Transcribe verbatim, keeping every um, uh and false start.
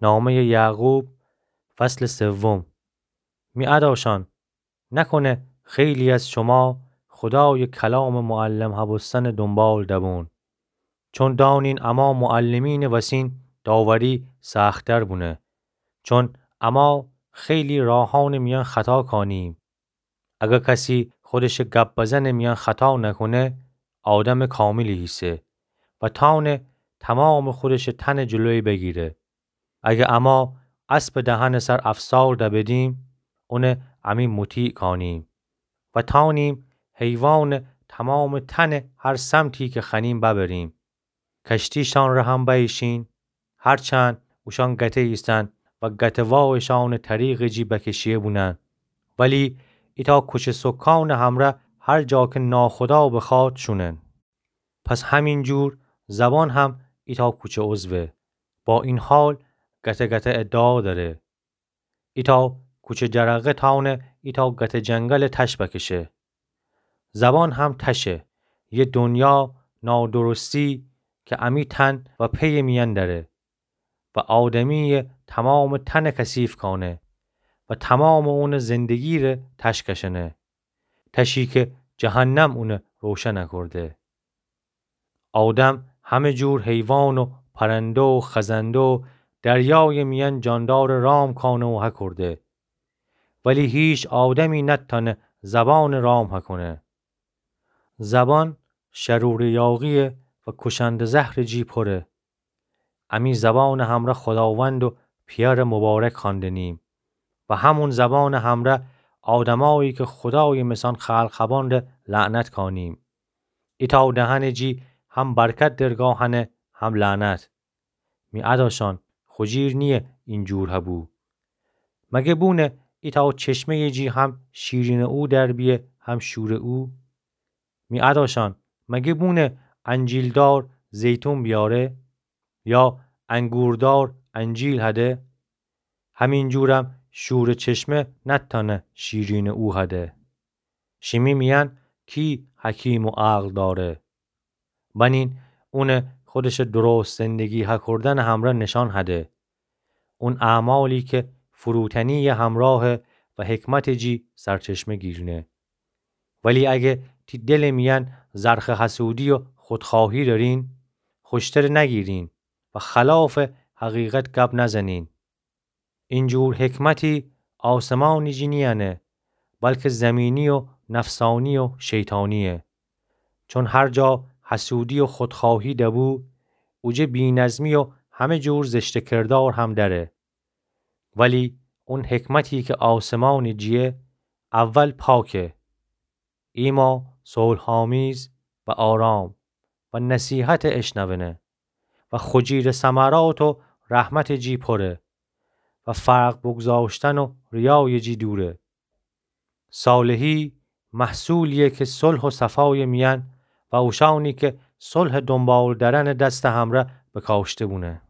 نامهٔ یعقوب، فصل سوم. می اداشان، نکنه خیلی از شما خدای کلام معلم هبوستن دنبال دبون. چون دانین اما معلمین وسین داوری سخت‌تر بونه. چون اما خیلی راهان میان خطا کانیم. اگه کسی خودش گپ بزن میان خطا نکنه، آدم کاملی هیسه و تانه تمام خودش تن جلوی بگیره. اگه اما اسب دهن سر افسار دبدیم، اونه امی مطیع کانیم و تانیم حیوان تمام تن هر سمتی که خنیم ببریم. کشتیشان ره هم بیشین، هرچند اوشان گته ایسن و گته واوشان طریق جی بکشیه بونن، ولی ایتا کوچه سکان همره هر جا که ناخدا بخواد شونن. پس همین جور زبان هم ایتا کوچه عضوه. با این حال گته گته ادعا داره. ایتا کوچه جرقه تانه ایتا گته جنگل تش بکشه. زبان هم تشه، یه دنیا نادرستی که امی تن و پی میان داره و آدمی تمام تن کثیف کانه و تمام اون زندگی ره تش کشنه. تشی که جهنم اونه روشن کرده. آدم همه جور حیوان و پرنده و خزنده و دریای میان جاندار رام کانه و هکرده. ولی هیچ آدمی نتانه زبان رام هکنه. زبان شرور یاغیه و کشنده زهر جی پره. امی زبان همره خداوند و پیار مبارک خواندنیم و همون زبان همره آدمایی که خدای مسان خلق هبان ره لعنت کانیم. ایتا دهن جی هم برکت درگاهنه هم لعنت. می اداشان، خوجیر نیه این جور هبو. مگه بونه ایتا چشمه جی هم شیرین او در بیه هم شور او؟ می اداشان، مگه بونه انجیلدار زیتون بیاره؟ یا انگوردار انجیل هده؟ همین جورم شور چشمه نتانه شیرین او هده. شیمی میان کی حکیم و عقل داره؟ بنین اونه خودش درست زندگی هکردن همره نشان هده. اون اعمالی که فروتنی همراه و حکمت جی سرچشمه گیرینه. ولی اگه تی دل میان زرخ حسودی و خودخواهی دارین، خوشتر نگیرین و خلاف حقیقت گپ نزنین. این جور حکمتی آسمانی جی نیانه، بلکه زمینی و نفسانی و شیطانیه. چون هر جا حسودی و خودخواهی دبو، اوجه بی‌نظمی و همه جور زشت کردار هم دره. ولی اون حکمتی که آسمانی جیه، اول پاکه. ایما صلح‌آمیز و آرام و نصیحت اشنونه و خوجیر ثمرات و رحمت جی پره و فرق بگذاشتن و ریای جی دوره. صالحی محصولیه که صلح و صفای میان و اوشانی که صلح دنبال درن دست همره بکاشته بونه.